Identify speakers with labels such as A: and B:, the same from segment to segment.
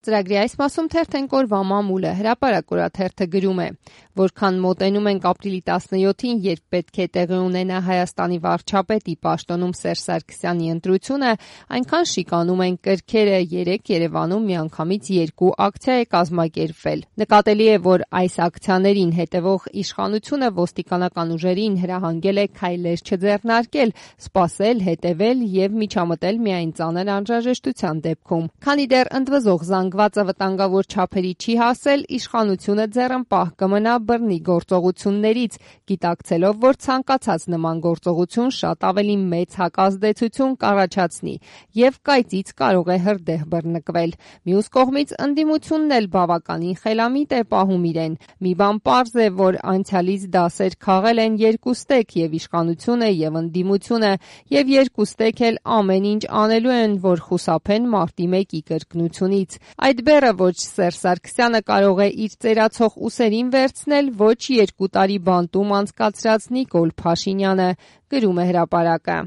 A: Ծրագրի այս մասում թերթենք օրվա մամուլը, հրապարակ օրաթերթը գրում է, որքան մոտենում ենք ապրիլի 17-ին, երբ պետք է տեղի ունենա Հայաստանի վարչապետի պաշտոնում Սերժ Սարգսյանի ընտրությունը, այնքան շիկանում են կրքերը, երեկ Երևանում միանգամից 2 ակցիա է կազմակերպվել։ Նկատելի է, որ այս ակցիաներին հետևող իշխանությունը ոստիկանական ուժերին հրահանգել է քայլեր չձեռնարկել, սպասել, հետևել եւ միջամտել միայն ծանր անհրաժեշտության դեպքում։ Քանի դեռ ընդվզող զանգվածը վտանգավոր չափերի չի հասել, իշխանությունը ձեռնպահ կմնա բռնի գործողություններից, գիտակցելով, որ ցանկացած նման գործողություն շատ ավելի մեծ հակազդեցություն կառաջացնի եւ կայծից կարող է հրդեհ բռնկվել։ Մյուս կողմից ընդդիմությունն էլ բավականին խելամիտ է պահում իրեն։ Մի բան պարզ է, որ անցյալից դասեր քաղել են երկուստեք եւ իշխանությունը եւ ընդդիմությունը եւ երկուստեք էլ ամեն ինչ անելու են, որ խուսափեն մարտի 1-ի կրկնությունից։ Այդ բեռը ոչ Սերժ Սարգսյանը կարող է իր ծերացող ուսերին վերցնել, ոչ 2 տարի բանտում անցկացրած Նիկոլ Փաշինյանը, գրում է հրապարակը։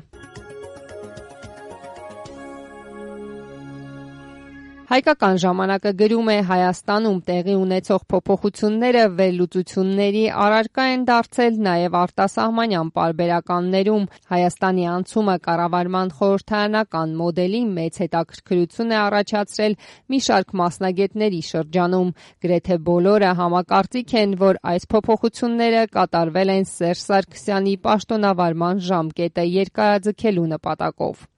A: Հայկական ժամանակը գրում է, Հայաստանում տեղի ունեցող փոփոխությունները վերլուծությունների առարկա են դարձել նաև արտասահմանյան պարբերականներում։ Հայաստանի անցումը կառավարման խորհրդարանական մոդելի մեծ հետաքրքրություն է առաջացրել մի շարք մասնագետների շրջանում։ Գրեթե բոլորը համակարծիք են, որ այս փոփոխությունները կատարվել են Սերժ Սարգսյանի պաշտոնավարման ժամկետը երկարաձգելու նպատակով։